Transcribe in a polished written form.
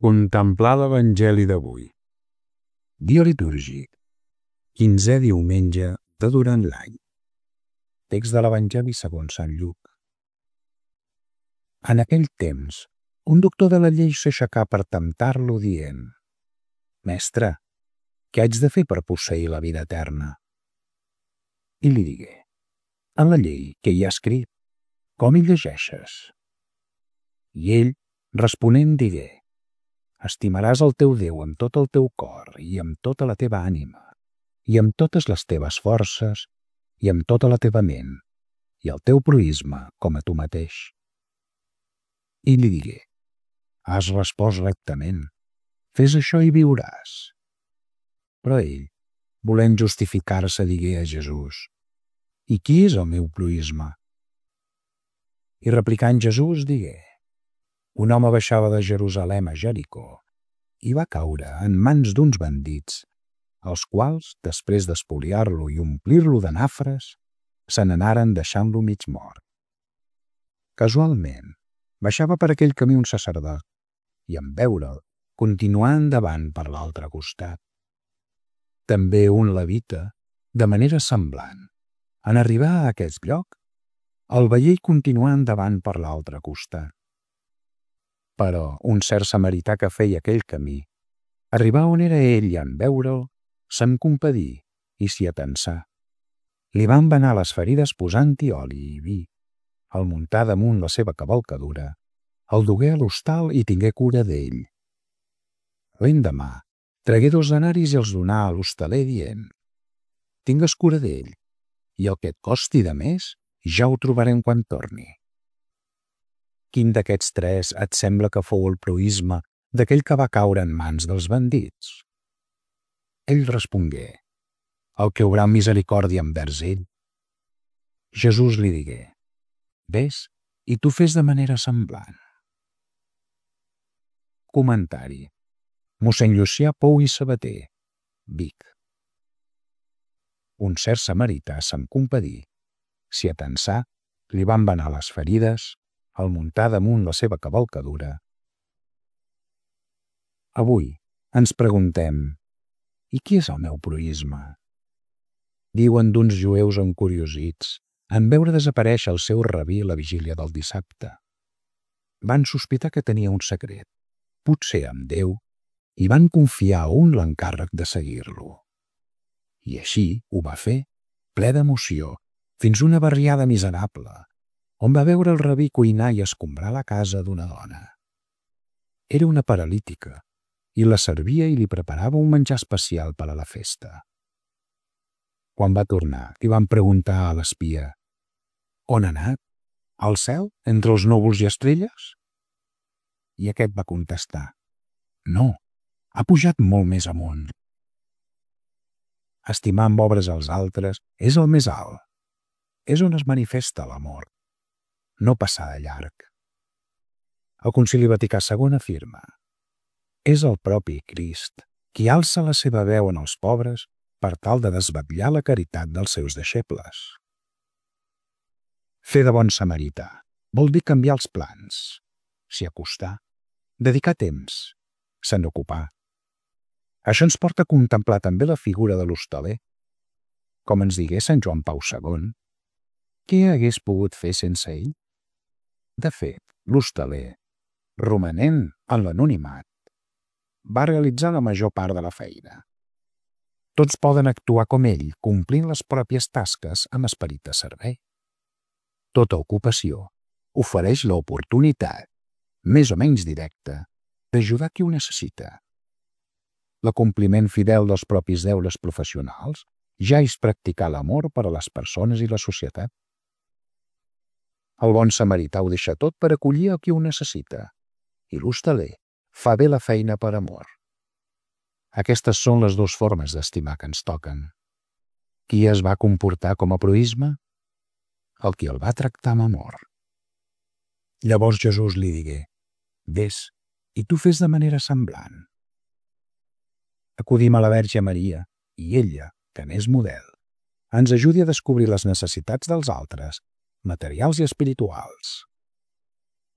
Contemplar l'Evangeli d'avui. Dia litúrgic, 15è diumenge de durant l'any. text de l'Evangeli segons Sant Lluc. En aquell temps, un doctor de la llei s'aixecà per temptar-lo dient: «Mestre, què haig de fer per posseir la vida eterna?» I li digué: «En la llei, què hi ha escrit? Com hi llegeixes?» I ell, responent, digué: «Estimaràs el teu Déu amb tot el teu cor i amb tota la teva ànima i amb totes les teves forces i amb tota la teva ment i el teu proïsme com a tu mateix». I li digué: «Has respost rectament. Fes això i viuràs». Però ell, volent justificar-se, digué a Jesús: «I qui és el meu proïsme?» I replicant Jesús digué: «Un home baixava de Jerusalem a Jericó i va caure en mans d'uns bandits, els quals, després d'espoliar-lo i omplir-lo de nafres, se n'anaren deixant-lo mig mort. Casualment, baixava per aquell camí un sacerdot i, en veure'l, continuà endavant per l'altre costat. També un levita, de manera semblant, en arribar a aquest lloc, el veié i continuà endavant per l'altre costat. Però un cert samarità que feia aquell camí arribà on era ell i, en veure'l, se'n compadí i s'hi atensà. Li van banar les ferides posant-hi oli i vi. El muntà damunt la seva cavalcadura, el dugué a l'hostal i tingué cura d'ell. L'endemà tragué 2 denaris i els donà a l'hostaler dient: «Tingues cura d'ell, i el que et costi de més ja ho trobarem quan torni». Quin d'aquests 3 et sembla que fou el proïsme d'aquell que va caure en mans dels bandits? Ell respongué: «El que obrà misericòrdia envers ell». Jesús li digué: «Ves, i tu fes de manera semblant». Comentari: Mossèn Llucià Pou i Sabater, Vic. Un cert samarità se'n compadí, s'hi atensà, li van banar les ferides, el muntà damunt la seva cavalcadura. Avui ens preguntem: i qui és el meu proïsme? Diuen d'uns jueus encuriosits en veure desaparèixer el seu rabí a la vigília del dissabte. Van sospitar que tenia un secret, potser amb Déu, i van confiar a un l'encàrrec de seguir-lo. I així ho va fer, ple d'emoció, fins una barriada miserable, on va veure el rabí cuinar i escombrar la casa d'una dona. Era una paralítica, i la servia i li preparava un menjar especial per a la festa. Quan va tornar, li van preguntar a l'espia: «On ha anat? Al cel, entre els núvols i estrelles?» I aquest va contestar: «No, ha pujat molt més amunt». Estimar amb obres als altres és el més alt. És on es manifesta l'amor, no passar de llarg. El Concili Vaticà II afirma: «És el propi Crist qui alça la seva veu en els pobres per tal de desvetllar la caritat dels seus deixebles». Fer de bon samarità vol dir canviar els plans, s'hi acostar, dedicar temps, se n'ocupar. Això ens porta a contemplar també la figura de l'hostaler. Com ens digué Sant Joan Pau II, què hagués pogut fer sense ell? De fet, l'hostaler, romanent en l'anonimat, va realitzar la major part de la feina. Tots poden actuar com ell, complint les pròpies tasques amb esperit de servei. Tota ocupació ofereix l'oportunitat, més o menys directa, d'ajudar qui ho necessita. L'acompliment fidel dels propis deures professionals ja és practicar l'amor per a les persones i la societat. El bon samarità ho deixa tot per acollir a qui ho necessita, i l'hostaler fa bé la feina per amor. Aquestes són les 2 formes d'estimar que ens toquen. Qui es va comportar com a proïsme? El qui el va tractar amb amor. Llavors Jesús li digué: «Ves, i tu fes de manera semblant». Acudim a la Verge Maria, i ella, que n'és model, ens ajudi a descobrir les necessitats dels altres, materials i espirituals.